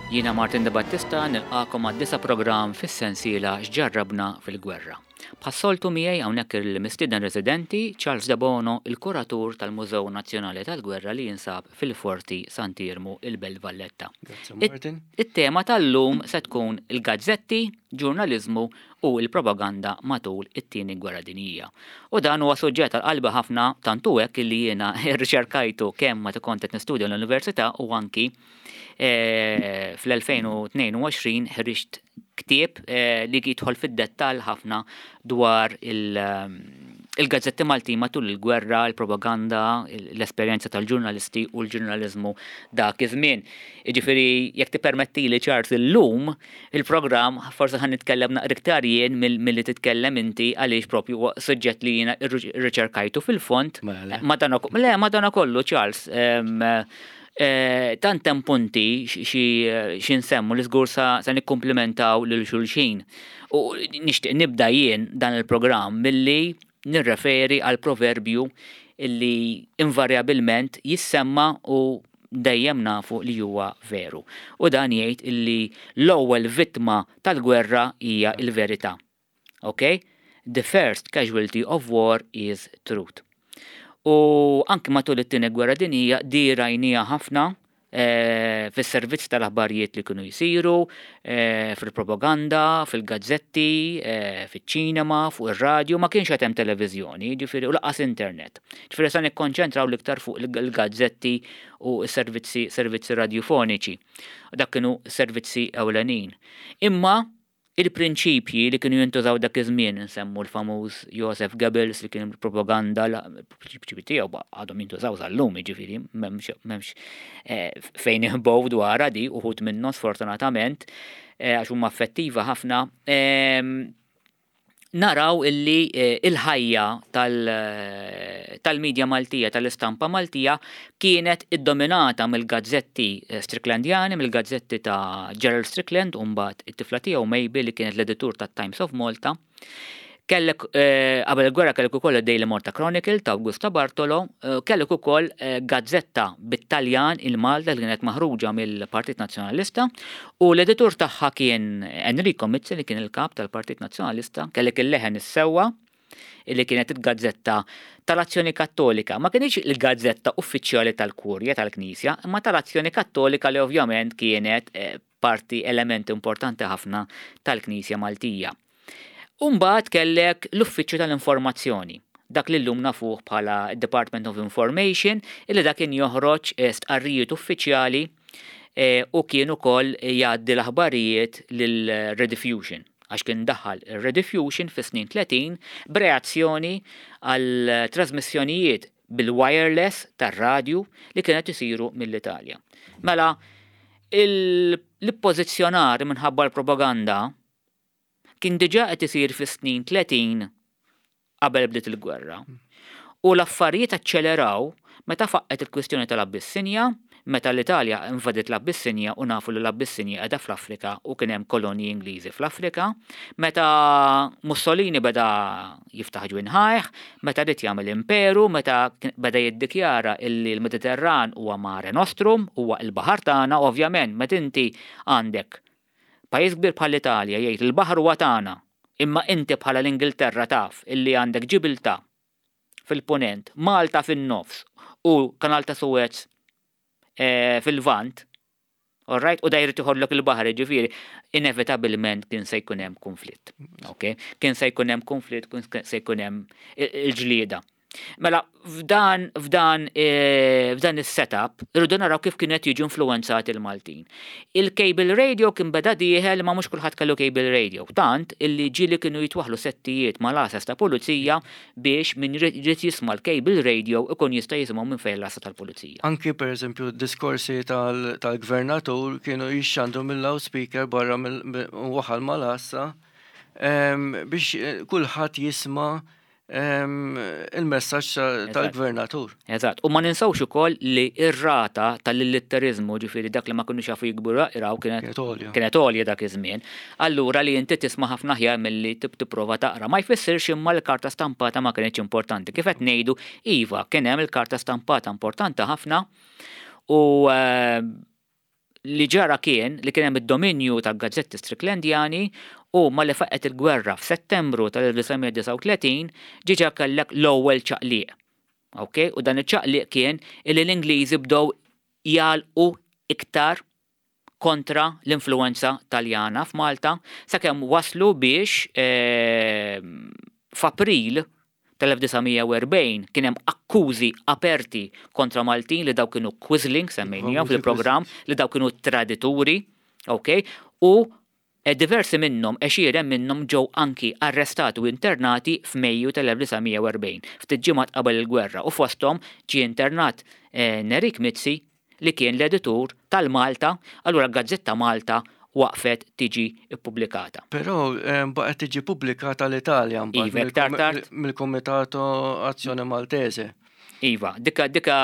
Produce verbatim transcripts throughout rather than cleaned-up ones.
Jiena Martin De Battista, nilqagħkom għad-disa' programm fis-sensiela X'Ġarrabna fil-Gwerra. Bħas-soltu miegħi hawnhekk il-mistieden residenti Charles Debono, il-kuratur tal-Mużew Nazzjonali tal-Gwerra li jinsab fil-Forti Sant'Iermu, il-Belt Valletta. Martin. It-tema tal-lum se tkun il-gazzetti, ġurnaliżmu u l-propaganda matul it-Tieni Gwerra Dinjija. U dan huwa suġġett għal qalbi ħafna, tant hu hekk illi jiena rriċerkajtu kemm meta kont qed nistudja l-università u anki eh, fl-elfejn u tnejn u għoxrin ħriġt ktieb eh, li jidħol fid-dettall ħafna dwar il- il-gazzetti Maltin matul il-gwerra, il-propaganda, l-esperjenza tal-ġurnalisti u l-ġurnaliżmu dak iż-żmien. Jiġifieri, jekk tippermetti li, Charles, illum il-programm forsi ħa nitkellem naqra iktar jien milli titkellem inti, għaliex propju suġġett li jiena rriċerkajtu fil-fond. Mela. Le, madana kollu, Charles, eh, tant hemm punti xi nsemmu li żgur sa nikkumplimentaw lil xulxin. U nixtieq nibda jien dan il-programm milli nirreferi għal proverbju illi invarjabilment jissemma u dejjem nafu li huwa veru. U dan jgħid illi l-ewwel vittma tal-gwerra hija il-verità. Ok? The first casualty of war is truth. U anki matul it-Tieni Gwerra Dinjija di rajnieha ħafna eh, fis-servizz tal-aħbarijiet li kienu jsiru, eh, fil-propaganda, fil-gazzetti, eh, fiċ-ċinema, fuq ir-radju, ma kienx hemm televiżjoni, ġifieri, u lanqas internet. Ġifieri sa nikkonċentraw l-iktar fuq il-gazzetti u s-servizzi servizzi radjofoniċi. Dak kienu servizzi ewlenin. Imma il-prinċipji li kienu jintużaw dak iż-żmien, nsemmu l-famuż Joseph Goebbels li kien propaganda, l-prinċipji tiegħu għadhom jintużaw sal-lum, jiġifieri m'hemmx eh, fejn iħbow dwar di uħud minnhom, sfortunatament, eh, għax huma effettiva ħafna. Ehm, naraw illi eh, il-ħajja tal-medja Maltija, tal-istampa Maltija, kienet iddominata mill-gazzetti eh, Stricklandjani, mill-gazzetti ta' Gerald Strickland, u mbagħad it-tifla tiegħu Mabel li kienet l-editur ta' Times of Malta. Kellek, eh, qabel il-gwerra kellek ukoll Daily Malta Chronicle ta' Augusta Bartolo, kellek ukoll gazzetta bit-Taljan, il-Malta, li kienet maħruġa mill-Partit Nazzjonalista u l-editur tagħha kien Enrico Mizzi li kien il-kap tal-Partit Nazzjonalista. Kellek il-Leħen is-Sewwa illi kienet il-gazzetta tal-Azzjoni Kattolika. Ma kienx il-gazzetta uffiċjali tal-Kurja tal-Knisja, imma tal-Azzjoni Kattolika li ovvjament kienet eh, parti, element importanti ħafna tal-Knisja Maltija. Umbagħad kellek l-Uffiċċju tal-Informazzjoni, dak li llum nafuh bħala Department of Information, illi dak kien joħroġ eh, stqarrijiet uffiċjali eh, u kien ukoll jgħaddi l-aħbarijiet lil-Rediffusion, għax kien daħal il-Rediffusion fi snin tletin b'reazzjoni għal trasmissjonijiet bil-wireless tar-radju li kienet isiru mill-Italja. Mela, l-pożizzjonar minħabba l-propaganda kien diġà qed isir fi snin tletin qabel bdiet il-gwerra. U l-affarijiet aċċeleraw meta faqqet il-kwistjoni tal-Abbissinja, meta l-Italja invadiet l-Abbissinja, u nafu li l-Abbissinja qiegħda fl-Afrika u kien hemm kolonji Ingliżi fl-Afrika, meta Mussolini beda jiftaħ ġwinħajh, meta ried jagħmel imperu, meta beda jiddikjara illi l-Mediterran huwa mare nostrum, huwa l-baħar tagħna. Ovvjament meta inti għandek pajjiż kbir bħall-Italja jgħid il-baħar huwa tagħna, imma inti bħala l-Ingilterra taf illi għandek Ġibilta fil-ponent, Malta fin-nofs u Kanal ta' Suez eh, fil-Lvant, alright, u dajri tiħodlok il-baħar, ġifieri, inevitabilment kien se jkun hemm konflitt. Ok? Kien se jkun hemm konflitt, kien se jkun hemm il-ġlieda. Mela, f'dan, f'dan, eh, f'dan is-setup, irridu naraw kif kienet jiġu influenzati il-Maltin. Il-cable radio kien beda dieħel, ma mhux kulħadd kellu cable radio. Tant illi ġieli kienu jitwaħlu settijiet mal-għases ta' pulizija biex min jrid jisma' l-cable radio ikun jista' jisimgħu minn fejn l-għassa tal-pulizija. Anki per eżempju diskorsi tal-gvernatur kienu jixxandu mill-loudspeaker barra waħal mal-għassa biex eh, kulħadd jisma' il-messaġġ tal-gvernatur. Eżatt. U ma ninsawx ukoll li ir-rata tal-illitterizmu, ġifieri dak li ma kinux jafu jiktbu jaqraw, kienet kienet għolja dak iż-żmien. Allura li inti tisma' ħafna aħjar milli tipprova taqra. Ma jfissirx imma l-karta stampata ma kienx importanti. Kif qed ngħidu, iva, kien hemm il-karta stampata importanti ħafna u eh, Li ġara kien li kien hemm id-dominju tal-gazzetti Stricklandjani u malli faqqgħet il-gwerra f'Settembru tal-elf disa' mija disgħa u tletin ġiġa kellek l-ewwel ċaqliq. Ok? U dan iċ-ċaqliq kien illi l-Ingliżi bdew jgħalqu iktar kontra l-influenza Taljana f'Malta sakemm waslu biex, eh, f'April tal-elf disa' mija u erbgħin kien hemm akkużi aperti kontra Maltin li daw kienu Quisling, semmejnihom Famużi fil-programm, Quisling. li daw kienu tradituri, ok? U diversi minnhom, għexieren minnhom ġew anki arrestati u internati f'Mejju tal-elf disa' mija u erbgħin, ftit ġimgħat qabel il-gwerra, u fosthom ġie internat, eh, Nerik Mizzi li kien l-editur tal-Malta, allura Gazzetta Malta waqfet tiġi ippubblikata. Però, eh, baqgħet tiġi pubblikata l-Italja mbagħad Iva, iktar mill-Kom- tard. mill-Comitato Azzjoni Maltese. Iva, dika, dika,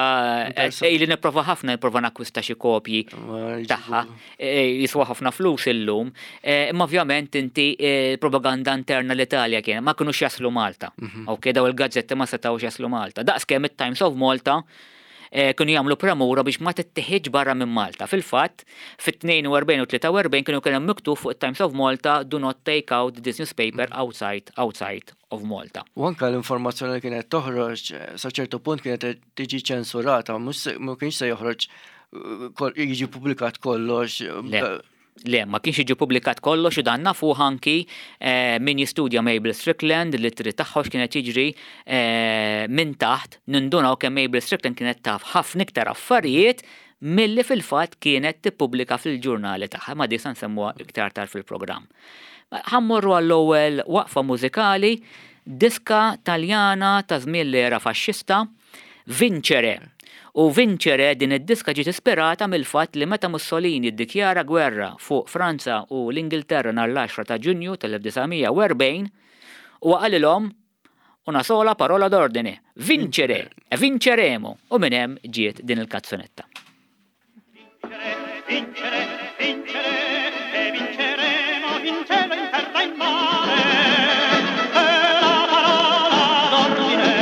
Interessa. eh, li nipprova ħafna, nipprova nakkwista xi kopji Ma jġibu. tagħha, eh, jiswa ħafna flus illum, eh, imma ovvjament inti, eh, propaganda interna l-Italja kien, ma kinux jaslu Malta. Mhm. Ok, daw il-gazzetti ma setgħux jaslu Malta. Daqskemm it-Times of Malta, eh, kienu jagħmlu premura biex ma tittieħedx barra minn Malta. Fil-fatt, fit-tnejn u erbgħin u tlieta u erbgħin kienu kien hemm miktub fuq it-Times of Malta, do not take out this newspaper outside, outside of Malta. U anka l-informazzjoni li kienet toħroġ, sa ċertu punt kienet tiġi ċensurata, mhux se-, ma kienx se joħroġ, eh, kol-, jiġi pubblikat kollox. Le. Le, ma kienx jiġi pubblikat kollox u dan nafu anki, eh, min jistudja Mabel Strickland, li trid tagħha x'kienet jiġri, eh, minn taħt, nindunaw kemm Mabel Strickland kienet taf ħafna iktar affarijiet milli fil-fatt kienet tippubblika fil-ġurnali tagħha, ma di se nsemmuha iktar tard fil-programm. Ħa mmorru għall-ewwel waqfa mużikali, diska Taljana ta' żmien l-era faxxista, Vincere. U Vincere din id-diska ġiet ispirata mill-fatt li meta Mussolini ddikjara gwerra fuq Franza u l-Ingilterra nhar l-għaxra ta' Ġunju tal-elf disa' mija u erbgħin, u qalilhom una sola parola d'ordine, vincere, e vinceremo, u minn hemm ġiet din il-kazzonetta. Vincere, vincere, vincere, e vinceremo in cielo, in terra, in mare. E la parola d'ordine,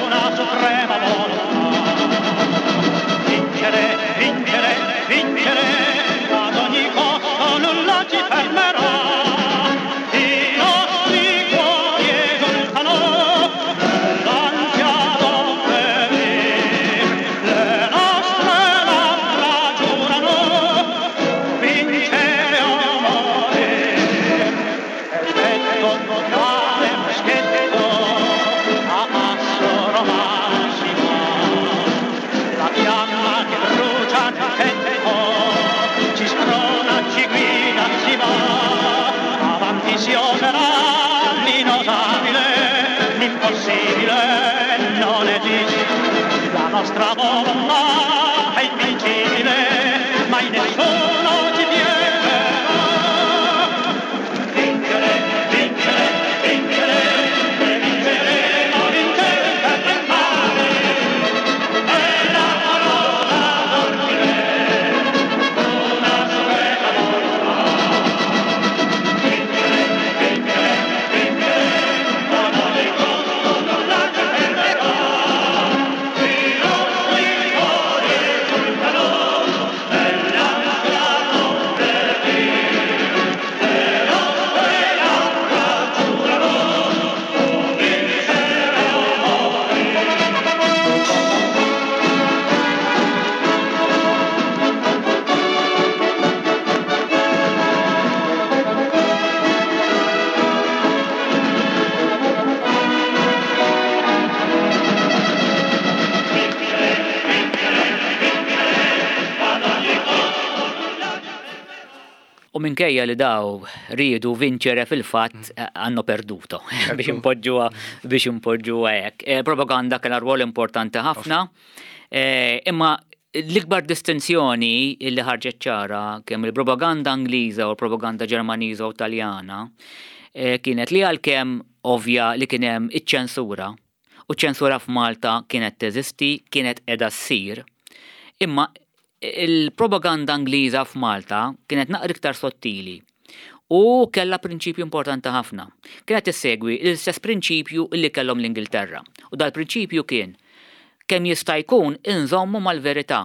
una suprema volontà. Vincere, vincere, vincere, ad ogni costo nulla ci fermerà. I nostri cuori esultano, l'ansia d'obbedire, le nostre labbra giurano, vincere o morire. E petto totale moschetto, a passo romano si va. La fiamma che brucia nel petto, ci sprona, ci guida, si va. Avanti si oserà l'inosabile, l'impossibile non esiste. La nostra volontà è invincibile, mai nessuno ci piegerà. Vincere, vincere, vincere, e vinceremo, vincere per il male. È la parola d'ordine, una suprema volontà. Vincere, vincere, vincere, ad ogni costo nulla ci fermerà. I nostri cuori esultano, nell'ansia d'obbedire. Le nostre labbra giurano, vincere o morire. U minkejja li daw riedu vincere fil-fatt, eh, hanno perduto biex impoġġuha, biex impoġġuha hekk. Eh, propaganda kellha rwol importanti ħafna, eh, imma l-ikbar distinzjoni li ħarġet ċara kemm il-propaganda Ingliża u l-propaganda Ġermaniża u Taljana, eh, kienet li għalkemm ovvja li kien hemm iċ-ċensura, u ċ-ċensura f'Malta kienet teżisti, kienet qiegħda ssir, imma il-propaganda Ingliża f'Malta kienet naqra iktar sottili u kellha prinċipju importanti ħafna. Kienet issegwi l-istess prinċipju li kellhom l-Ingilterra. U dal-prinċipju kien kemm jista' jkun inżommu mal-verità.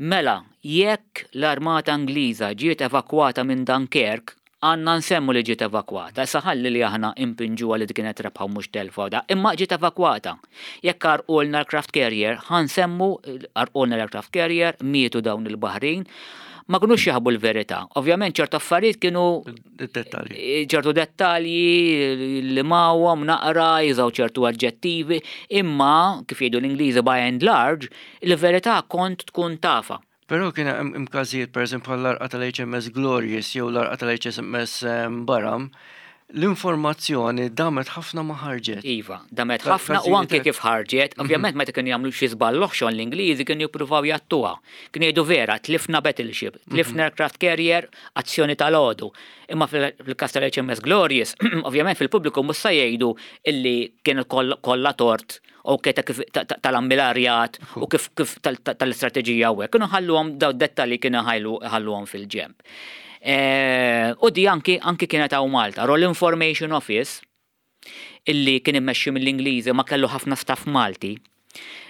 Mela, jekk l-armata Ingliża ġiet evakwata minn Dunkerque, għandna nsemmu li ġiet evakwata. Issa ħalli li aħna impinġuha li kienet rebħa u mhux telfa da, imma ġiet evakwata. Jekk għarqulna l-aircraft carrier, ħa nsemmu għarqulna l-aircraft carrier, mietu dawn il-baħrin, ma kinux jaħbu l-verità. Ovvjament ċertu affarijiet kienu Dettalji. Ċertu dettalji li mawhom naqra, jużaw ċertu aġġettivi, imma kif jgħidu l-Ingliżi, by and large, il-verità kont tkun tafha. Però kien hemm każijiet, pereżempju l-għarqa tal-H M S Glorious jew l-għarqa tal-H M S Barham, l-informazzjoni damet ħafna ma ħarġet. Iva, damet ħafna u anke kif ħarġet, ovvjament meta kienu jagħmlu xi żball oħxon l-Ingliżi kienu jippruvaw jgħattuha. Kienu jgħidu vera, tlifna battleship, tlifna aircraft carrier, azzjoni tal-għodu. Imma fil-kas tal-H M S Glorious, ovvjament fil-pubbliku mhux se jgħidu illi kienu kollha tort u keta kif tal-ammilarjat u kif kif tal-istrateġija u hekk. Kienu ħalluhom daw dettalji, kienu ħalluhom fil-ġemp. Eh, u di anki anki kienet hawn Malta. Royal Information Office illi kien immexxi mill-Ingliżi ma kellu ħafna staff Malti.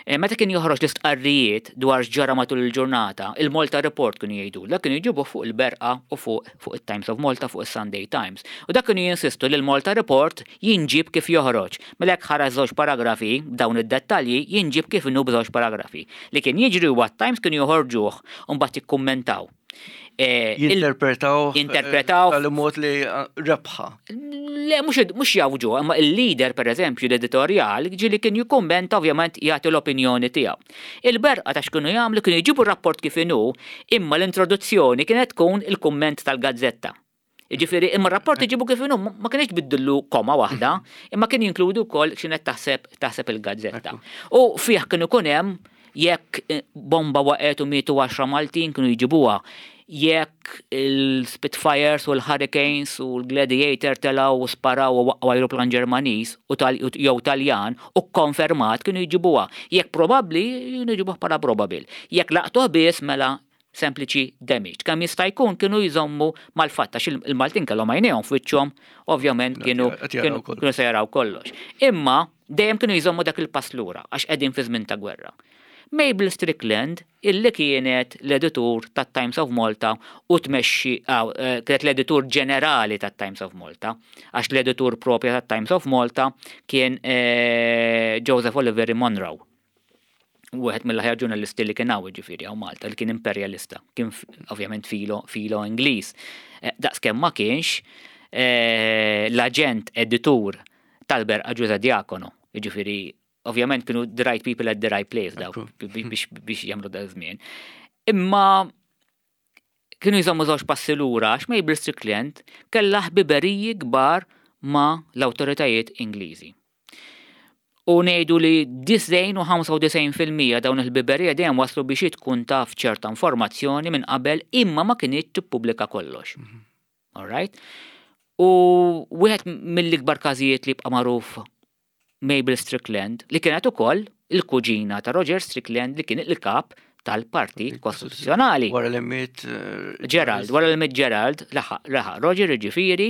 Eh, meta kien joħroġ l-istqarrijiet dwar x'ġara matul il-ġurnata, il-Malta Report kienu jgħidu, dak kienu jġibu fuq il-Berqa u fuq fuq il-Times of Malta, fuq il-Sunday Times. U dak kienu jinsistu li l-Malta Report jinġib kif joħroġ. Mela jekk ħareġ żewġ paragrafi dawn id-dettalji, jinġib kif inhu b'żewġ paragrafi. Li kien jiġri huwa Times kienu joħorġuh u mbagħad jikkummentaw. Eh, Jinterpretaw. Jinterpretaw. Tal-mod li eh, rebħa. Le, mhux jawġu, imma il-leader, per eżempju, l-editorial, ġieli kien jikkummenta, ovvjament jagħti l-opinjoni tiegħu. Il-Berqa ta' x'kienu jagħmlu, kienu jġibu rapport kif inhu, imma l-introduzzjoni kienet tkun il-kumment tal-gazzetta. Ġifieri, imma r-rapport iġibu kif inhu, ma kienx biddillu koma waħda, imma kien jinkludu wkoll x'kienet taħseb taħseb il-gazzetta. U fih kienu ikun hemm jekk eh, bomba waqgħet u mietu għaxra Maltin, kienu jġibuha, jekk il-Spitfires u l-Hurricanes u l-Gladiator telaw u sparaw u waqqgħu aeroplan Ġermaniż u jew Taljan u konfermat, kienu jġibuha. Jekk probabbli, kienu jġibuha bħala probable. Jekk laqtuh biss, mela sempliċi damage. Kemm jista' jkun kienu jżommu mal-fatt għax il-Maltin kellhom għajnejhom f'wiċċhom, ovvjament kienu kienu se jaraw kollox. Imma dejjem kienu jżommu dak il-pass lura għax qegħdin fi żmien ta' gwerra. Mabel Strickland, illi kienet l-editur tat Times of Malta u tmexxi, eh, kienet l-editur ġenerali tat Times of Malta, għax l-editur propja tat Times of Malta kien eh, Joseph Oliver Monroe. Wieħed mill-aħjar ġurnalisti li kien hawn, ġifieri hawn Malta, li kien imperjalista, kien ovvjament filo filo Ingliż. Eh, daqskemm ma kienx l-aġent editur tal-Berqa Ġużè Diacono, ġifieri ovvjament kienu the right people at the right place daw biex biex jagħmlu da żmien. Imma kienu jżommu żewġ passi lura għax Mabel Strickland kellha ħbiberiji kbar ma' l-awtoritajiet Ingliżi. U ngħidu li disgħin u ħamsa u disgħin fil-mija dawn il-ħbiberija dejjem waslu biex tkun taf ċerta informazzjoni minn qabel, imma ma kinitx tippubblika kollox. Mhm. All right? U wieħed mill-ikbar każijiet li bqa' magħruf, Mabel Strickland, li kienet ukoll il-kuġina ta' Roger Strickland li kien il-kap tal-Partit Kostituzzjonali. Wara li miet eh, Gerald, wara li miet Gerald, laħaq laħaq Roger ġifieri.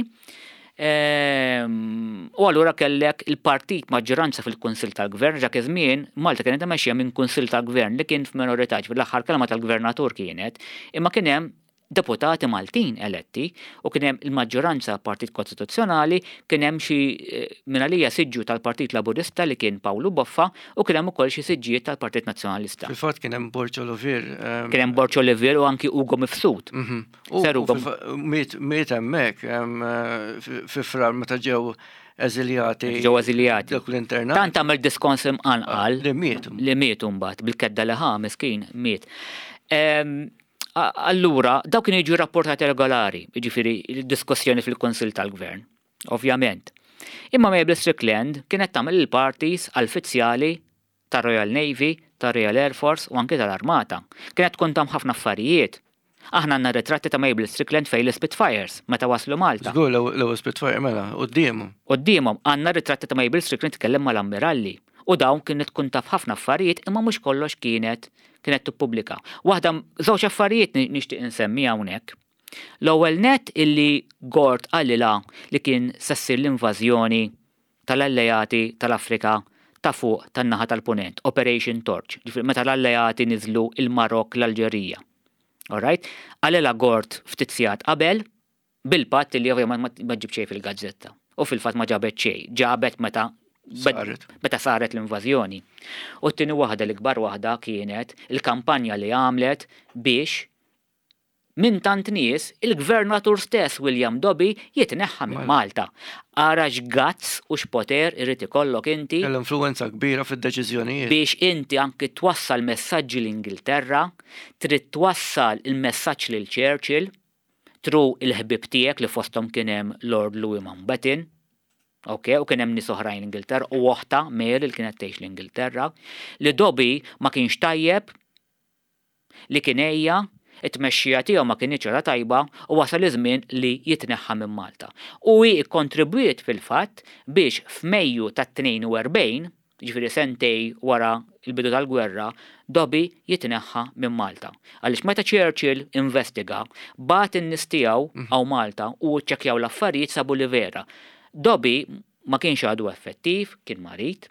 Ehm, u allura kellek il-partit maġġoranza fil-Kunsil tal-Gvern. Dak iż-żmien Malta kienet mexxija minn Kunsil tal-Gvern li kien f'minorità, fil-aħħar kelma tal-gvernatur kienet, imma kien hemm deputati Maltin eletti u kien hemm il-maġġoranza Partit Kostituzzjonali, kien hemm xi eh, mingħalija siġġu tal-Partit Laburista li kien Pawlu Boffa u kien hemm ukoll xi siġġijiet tal-Partit Nazzjonalista. Fil-fatt kien hemm Borg Olivier. Ehm, kien hemm Borg Olivier u anki Ugo Mifsud. Mhm. U miet hemmhekk ehm, fi Frar meta ġew eżiljati. Ġew eżiljati. Dak l-internat. Tant għamel diskors imqanqal. Li miet. Li miet mbagħad bil-kedda li ħa, miskin miet. Ehm, Allura, daw kienu jiġu rapportati regolari, jiġifieri il-diskussjoni fil-Konsil tal-Gvern, ovvjament. Imma Mabel Strickland kienet tagħmel il-parties għall-uffiċjali tar-Royal Navy, tar-Royal Air Force u anke tal-Armata. Kienet tkun tam ħafna affarijiet. Aħna għandna ritratti ta' Mabel Strickland fejn l-Spitfires meta waslu Malta. Żgur, l-ewwel Spitfire mela, quddiemhom. Quddiemhom għandna ritratti ta' Mabel Strickland tkellem mal-ammiralli. U dawn kienet tkun taf ħafna affarijiet, imma mhux kollox kienet kienet tippubblika. Waħda, żewġ affarijiet nixtieq insemmi hawnhekk. L-ewwel net, illi Gort qalilha li kien se ssir l-invażjoni tal-alleati tal-Afrika ta' fuq tan-naħa tal-Punent, Operation Torch, ġifieri meta l-alleati niżlu il-Marok, l-Alġerija. Alright? Qalilha Gort ftit sigħat qabel bil-patt li ovvjament ma ġib xejn fil-gazzetta. U fil-fatt ma ġabet xejn, ġabet meta Saret. meta saret l-invażjoni. U t-tieni waħda, l-ikbar waħda, kienet il-kampanja li għamlet biex minn tant nies il-gvernatur stess William Dobby jitneħħa minn Malta. Ara x'guts u x'poter irid ikollok inti Kellha influenza kbira fid-deċiżjonijiet. Biex inti anki twassal messaġġi l-Ingilterra, trid twassal il-messaġġ lil Churchill through il-ħbib tiegħek li fosthom kien hemm Lord Louis Mountbatten, ok, u kien hemm nies oħrajn l-Ingilterra u oħta Mary li kienet tgħix l-Ingilterra, li Dobby ma kienx tajjeb, li kien ejja, it-tmexxija tiegħu ma kienx ora tajba u wasal iż-żmien li jitneħħa minn Malta. U hi kkontribwiet fil-fatt biex f'Mejju tat-tnejn u erbgħin, ġifieri sentej wara il-bidu tal-gwerra, Dobby jitneħħa minn Malta. Għaliex meta Churchill investiga, bagħat in-nies tiegħu hawn Malta u ċċekkjaw l-affarijiet, sabu li vera. Dobby ma kienx għadu effettiv, kien marid,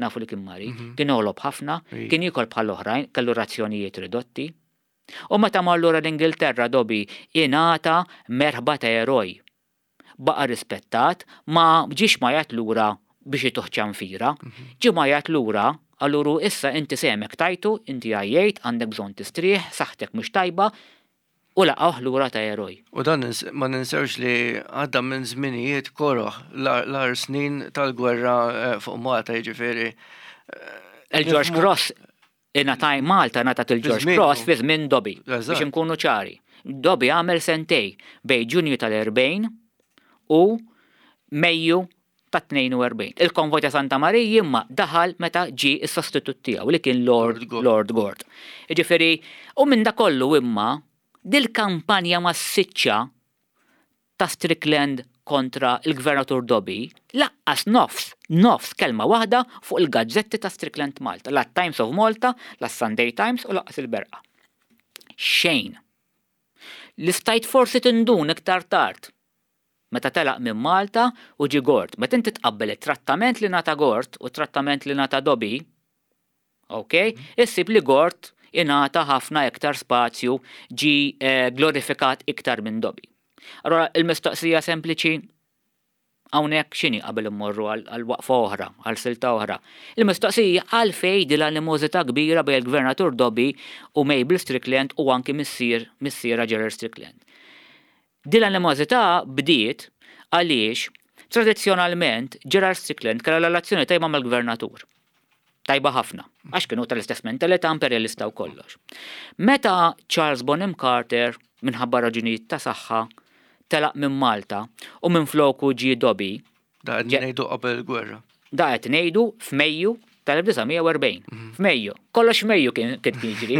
nafu li kien marid, kien għolob ħafna, Ej. kien jiekol bħal oħrajn, kellu razzjonijiet ridotti. U meta mar lura l-Ingilterra Dobby ingħata merħba ta' eroj. Baqa rispettat, ma ġiex mgħajjat lura biex ituh ċanfira, ġie mgħajjat lura, alluru issa inti sehmek tajtu, inti għajjejt, għandek bżonn tistrieħ, saħtek mhux tajba, u laqgħuh lura ta' eroj. U dan nins- ma ninsewx li għadda minn żminijiet koroh, l-agħar snin tal-gwerra eh, fuq Malta, jiġifieri. Il-George Nifhmu- Cross ingħatat Malta, ngħatat il-George żmienu. Cross fi żmien Dobby. Eżatt. Biex inkunu ċari. Dobby għamel sentej bejn Ġunju tal-erbgħin u Mejju ta' tnejn u erbgħin. Il-konvoj ta' Santa Marija imma daħal meta ġi is-sostitut tiegħu li kien Lord Lord Gort. Lord Gort. Jiġifieri, u minn da kollu imma dil-kampanja massiċċa ta' Strickland kontra il-gvernatur Dobby, lanqas nofs, nofs kelma waħda fuq il-gazzetti ta' Strickland Malta, la Times of Malta, la Sunday Times u lanqas il-Berqa. Xejn. Li stajt forsi tindun iktar tard. Meta telaq minn Malta u ġi Gort. Meta inti tqabbel it-trattament li ngħata Gort u trattament li ngħata Dobby, ok, issib li Gort ingħata ħafna iktar spazju, ġi eh, glorifikat iktar minn Dobby. Allora, il-mistoqsija sempliċi hawnhekk x'inhi qabel immorru għal għal waqfa oħra, għal silta oħra? Il-mistoqsija għalfejn din l-animożità kbira bejn il-Gvernatur Dobby u Mabel Strickland u anki missier missiera Gerald Strickland. Din l-animożità bdiet għaliex tradizzjonalment Gerald Strickland kellha relazzjoni tajba mal-gvernatur. Tajba ħafna, għax kienu tal-istess mentalità, imperialista u kollox. Meta Charles Bonham Carter, minħabba raġunijiet ta' saħħa, telaq minn Malta u minn floku ġie Dobby, Da qed Ġe- ngħidu qabel il-gwerra. Da qed ngħidu f'Mejju tal-elf disa' mija u erbgħin. F'Mejju, kollox Mejju kien kien jiġri.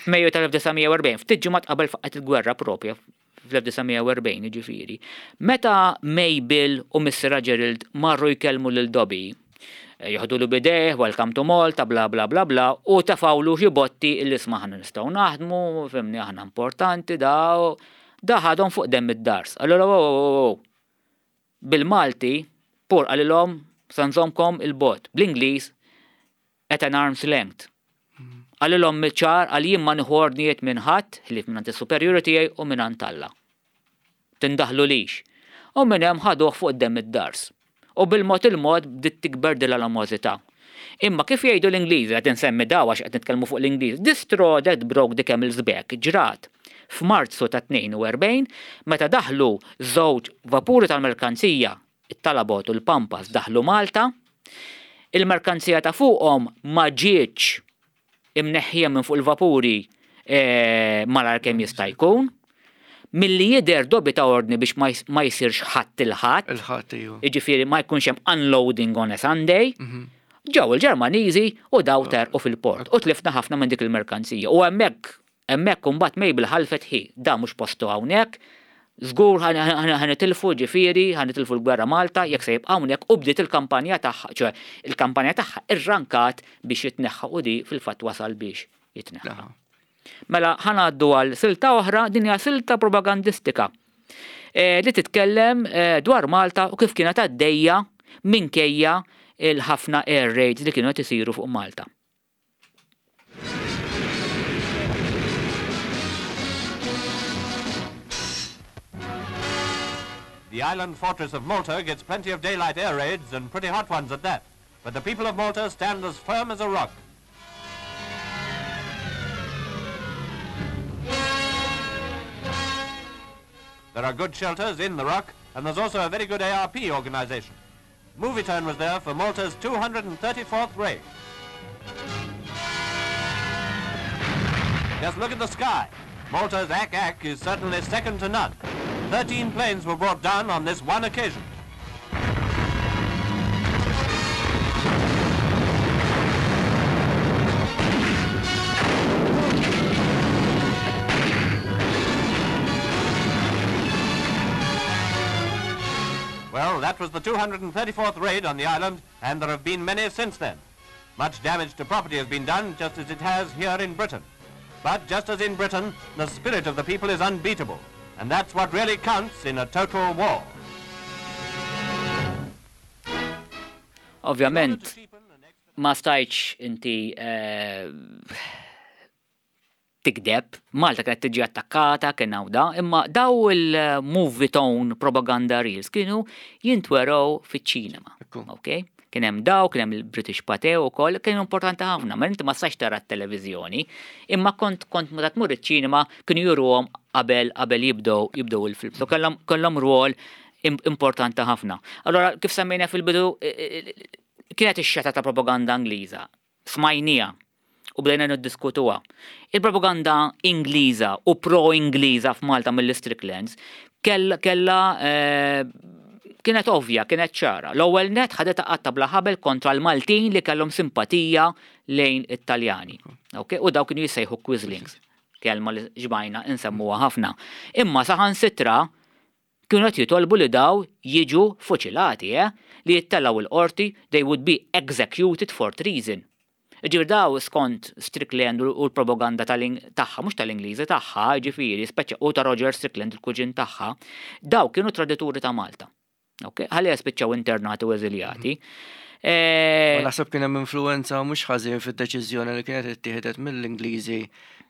F'Mejju tal-elf disa' mija u erbgħin, ftit ġimgħat qabel faqgħet il-gwerra propja fl-elf disa' mija u erbgħin jiġifieri. Meta Mabel u Mister Gerald marru jkellmu lil Dobby, eh, joħdulu b'idejh, "Welcome to Malta," bla bla bla bla, u tefgħulu xi botti illi isma' aħna nistgħu naħdmu, fhimni, aħna importanti, da, da ħadhom fuq demm id-dars. Allora, wow, wow, wow. Bil-Malti, pur qalilhom sa nżommkom 'il bogħod. Bl-Ingliż, at an arm's length. Qalilhom ċar, għal jien ma nieħu ordnijiet minn ħadd, ħlief minn is-superjuri tiegħi u minn Alla. Tindaħlulix. U minn hemm ħaduh fuq demm id-dars. U bil-mod il-mod bdiet tikber din l-animożità. Imma kif jgħidu l-Ingliżi, qed insemmi daw għax qed nitkellmu fuq l-Ingliż, "the straw that broke the camel's back" ġrat f'Marzu ta' tnejn u erbgħin meta daħlu żewġ vapuri tal-merkanzija, it-Talabot u l-Pampas, daħlu Malta. Il-merkanzija ta' fuqhom ma ġietx imneħħija minn fuq il-vapuri eh, malar kemm jista' jkun. Milli jidher Dobby ta ordni biex ma js- ma jsirx ħadd il-Ħadd, Il-Ħadd iju. Jiġifieri ma jkunx hemm unloading on a Sunday. Ġew il-Ġermaniżi u daw terqu fil-port u tlifna ħafna minn dik il-merkanzija. U hemmhekk hemmhekk imbagħad Mabel ħalfet ħi, da mhux postu hawnhekk, żgur ħa nitilfu, ġifieri, ħa nitilfu l-gwerra Malta, jekk se jibqa' hawnhekk, u bdiet il-kampanja tagħha, ċoè il-kampanja tagħha irrankat biex jitneħħa u di fil-fatt wasal biex jitneħħa. Mela ħa ngħaddu għal silta oħra, din hija silta propagandistika eh, li titkellem eh, dwar Malta u kif kienet għaddejja minkejja il-ħafna air raids li kienu qed isiru fuq Malta. The island fortress of Malta gets plenty of daylight air raids and pretty hot ones at that. But the people of Malta stand as firm as a rock. There are good shelters in the rock, and there's also a very good A R P organization. Movietone was there for Malta's two hundred and thirty-fourth raid. Just look at the sky. Malta's A C A C is certainly second to none. thirteen planes were brought down on this one occasion. Well, that was the two hundred and thirty-fourth raid on the island, and there have been many since then. Much damage to property has been done, just as it has here in Britain. But just as in Britain, the spirit of the people is unbeatable. And that's what really counts in a total war. Ovvjament, ma stajtx inti, eh, tikdeb, Malta kienet tiġi attakkata, kien hawn da, imma daw il-Movietone propaganda reels kienu jintwerow fiċ-ċinema. Ekku. Ok? Kien hemm daw, kien hemm il-British Pathé wkoll, kienu importanti ħafna, ma inti ma stax tara t-televiżjoni, imma kont, kont meta tmur iċ-ċinema kienu juruhom qabel, qabel jibdew, jibdew il-film. So kellhom, kellhom rwol im-, importanti ħafna. Allora, kif semmejna fil-bidu, i-, i-, i-, kienet ix-xeta ta' propaganda Ingliża, smajnija u bdejna niddiskutuha. Il-propaganda Ingliża u pro-Ingliża f'Malta mill-Stricklands kell-, kella, eh, kienet ovvja, kienet ċara. L-ewwel net ħadet qatta bla ħabel kontra l-Maltin li kellhom simpatija lejn it-Taljani. Ok? U daw kienu jissejħu Quislings, kelma li ġbajna insemmuha ħafna. Imma saħansitra kienu qed jitolbu li daw jiġu fuċilati, eh? Li jittellgħu l-qorti, they would be executed for treason. Ġifieri daw skont Strickland u l-propaganda tal-Ing-, tagħha, mhux tal-Ingliżi tagħha, ġifieri, speċa u ta' Roger Strickland, il-kuġin tagħha, daw kienu tradituri ta' Malta. Ok, ħalli spiċċaw internati u eżiljati. Eh, Ma naħseb kien hemm influenza mhux ħażin fid-deċiżjoni li kienet ittieħdet mill-Ingliżi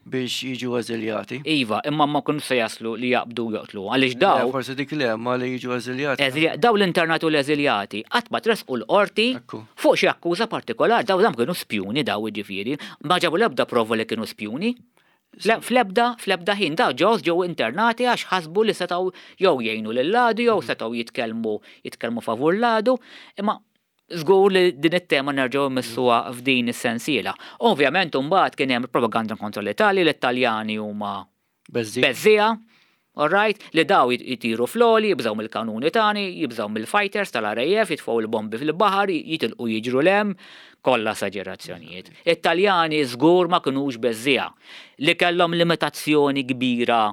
biex jiġu eżiljati. Iva, imma ma kienu se jaslu li jaqbdu joqtlu, għaliex Le, daw forsi dik le, ma li jiġu eżiljati. Eżilja-, daw l-internati u l-eżiljati qatt ma tresqu l-qorti Ekku. fuq xi akkuża partikolari, daw dam kienu spjuni daw jiġifieri, ma ġabu l-ebda prova li kienu spjuni. Le, fl-ebda, fl-ebda ħin, daw ġew ġew internati għax ħasbu li setgħu jew jgħinu lil-ladu jew setgħu jitkellmu, jitkellmu favur l-ladu, imma żgur li din it-tema nerġgħu mmissuha f'din is-sensiela. Ovvjament imbagħad kien hemm propaganda kontra l-Italja, l-Italjani huma Beżżija. beżżija, all right, li daw jit-, jitiru fl-oli, jibżgħu mill-kanuni tani, jibżgħu mill-fighters tal-R A F, jitfgħu l-bombi fil-baħar, jitilqu jiġru l-hemm, kollha esaġerazzjonijiet. Italjani żgur ma kinux beżżija, li kellhom limitazzjoni kbira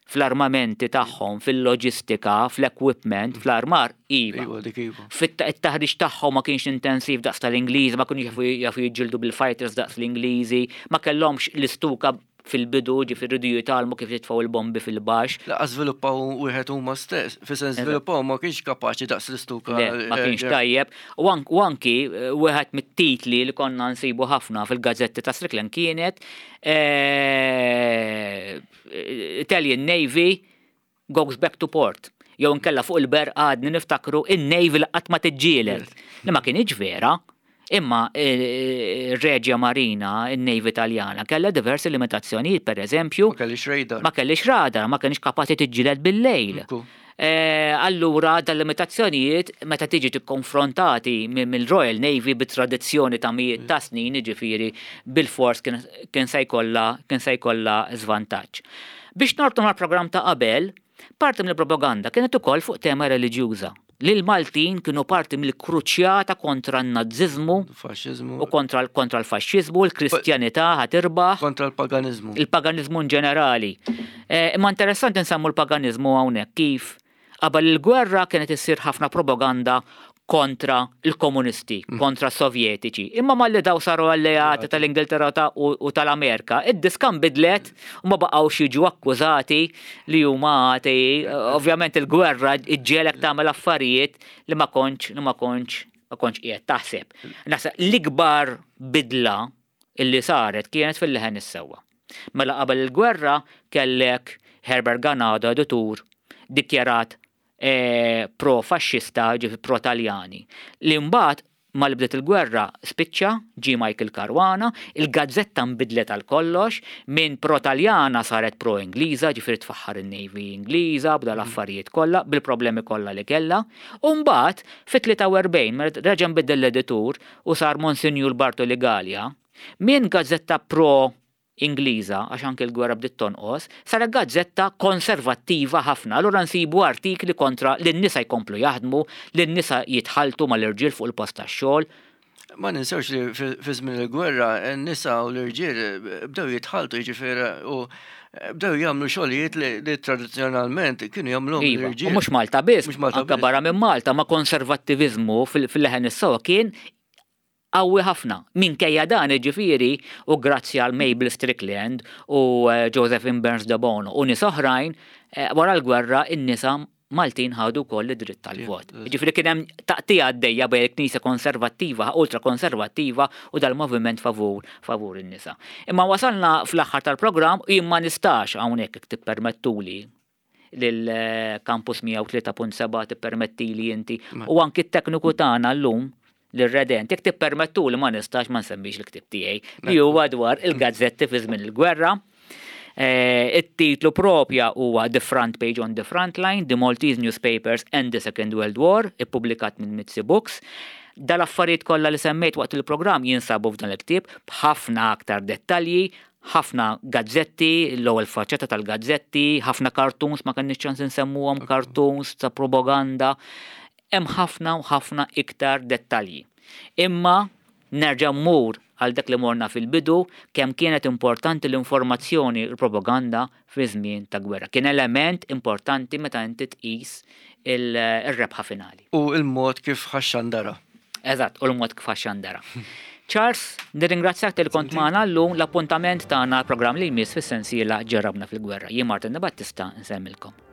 fl-armamenti tagħhom, fil-loġistika, fl-equipment, fl-armar, iva. Iva, dik iva. Fit-taħriġ tagħhom ma kienx intensiv daqs tal-Ingliż, ma kienux jafu, jafu jiġġieldu bil-fighters daqs l-Ingliżi, ma kellhomx l-istuka fil-bidu, ġifieri rridu jitgħallmu kif jitfgħu l-bombi fil-baxx. Laqas żviluppaw wieħed huma stess, fi sens Eżatt. żviluppaw ma kienx kapaċi daqs l-istuka. Le, ma eh, kienx eh, tajjeb. U ank-, u anki, eh, wieħed mit-titli li konna nsibu ħafna fil-gazzetti ta' Strickland kienet, eh, Italian Navy goes back to port. Jew nkella fuq il-ber għadni niftakru in-Navy li qatt ma tiġġieled. Li ma kienx vera. Imma, eh, ir-Regia Marina, in-Navy Italjana, kellha diversi limitazzjonijiet, per eżempju, Ma kellix radar. Ma kellix radar, ma kellix kapaċi tiġġieled bil-lejl. Ekku. Eh, allura dal-limitazzjonijiet meta tiġi tikkonfrontati mi-, mill-Royal Navy bit-tradizzjoni ta' mijiet ta' snin, jiġifieri bil-fors kien, kien se jkollha, kien se jkollha żvantaġġ. Biex nortu mal-programm ta' qabel, parti mill-propaganda kienet ukoll fuq tema reliġjuża. Li l-Maltin kienu parti mill-kruċjata kontra n-naziżmu Faxxiżmu. u kontra l-, kontra l-faxxiżmu, l-Kristjanità ħatirbaħ. Kontra l-paganiżmu. Il-paganiżmu in ġenerali. Eh, imma interessanti nsemmu l-paganiżmu hawnhekk kif qabel il-gwerra kienet issir ħafna propaganda kontra il-komunisti, Mm. kontra s-Sovjetiċi. Imma malli daw saru alleati tal-Ingilterra ta-, u, u tal-Amerika, id-diska nbidlet u ma baqgħux jiġu akkużati li huma atei. Ovvjament il-gwerra iġġielek tagħmel affarijiet li ma kontx, li ma kontx ma kontx qiegħed taħseb. Naħseb l-ikbar bidla illi saret kienet fil-Leħen is-Sewwa. Mela qabel il-gwerra kellek Herbert Ganado, editur, dikjarat eh, pro-faxxista, ġifi pro-Taljani. Li mbagħad malli bdiet il-gwerra spiċċa, ġie Michael Caruana, il-gazzetta nbidlet għal kollox, minn pro-Taljana saret pro-Ingliża, ġifieri tfaħħar in-Navy Ingliża, bda l-affarijiet kollha, bil-problemi kollha li kellha. U mbagħad fit-tlieta u erbgħin meta reġa' nbidel l-editur u sar Monsinjur Bartoli Galea, minn gazzetta pro Ingliża, għax anke l-gwerra bdiet tonqos, saret gazzetta konservattiva ħafna. Allura nsibu artikli kontra li n-nisa jkomplu jaħdmu, li n-nisa jitħaltu mal-irġiel fuq il-post tax-xogħol. Ma ninsewx li fi fi żmien il-gwerra n-nisa u l-irġiel bdew jitħaltu, jiġifieri, u bdew jagħmlu xogħlijiet li, li tradizzjonalment kienu jagħmluhom Iva, l-irġiel. u mhux Malta biss, Mhux Malta anke biss. barra minn Malta, ma konservattivizmu fil- fil-Leħen is-Sewwa kien qawwi ħafna. Minkejja dan, ġifieri, u grazzi għal Mabel Strickland u eh, Josephine Burns de Bono u nies oħrajn, eh, wara l-gwerra in-nisa Maltin ħadu wkoll id-dritt tal-vot. Ġifieri kien hemm taqtigħa għaddejja bejn il-Knisja konservattiva, ultra konservattiva u dal-moviment favur favur in-nisa. Imma wasalna fl-aħħar tal-programm u jien ma nistax hawnhekk, jekk tippermettuli lil Campus mija u tlieta punt sebgħa, tippermetti li inti u anki t-tekniku tagħna llum l-Redent, jekk tippermettu li ma nistax ma nsemmix il-ktib tiegħi li huwa dwar il-gazzetti fi żmien il-gwerra. Eh, It-titlu propja huwa The Front Page on the Front Line, The Maltese Newspapers and the Second World War, ippubblikat minn Mizzi Books. Dal-affarijiet kollha li semmejt waqt il-programm jinsabu f'dan il-ktieb b'ħafna aktar dettalji, ħafna gazzetti, l-ewwel faċċata tal-gazzetti, ħafna cartoons, ma kenniex ċans insemmuhom, cartoons ta' propaganda. Hemm ħafna u ħafna iktar dettalji. Imma nerġa' mmur għal dak li morna fil-bidu, kemm kienet importanti l-informazzjoni, l-propaganda fi żmien ta' gwerra. Kien element importanti meta inti tqis il- ir-rebħa finali. U il-mod kif ħa xxandara. Eżatt, u l-mod kif ħa xxandara. Charles, nirringrazzjak talli kont magħna llum. L-appuntament tagħna programm li jmiss fis-sensiela Ġarrabna fil-Gwerra. Jien Martin Battista, nsemmilkom.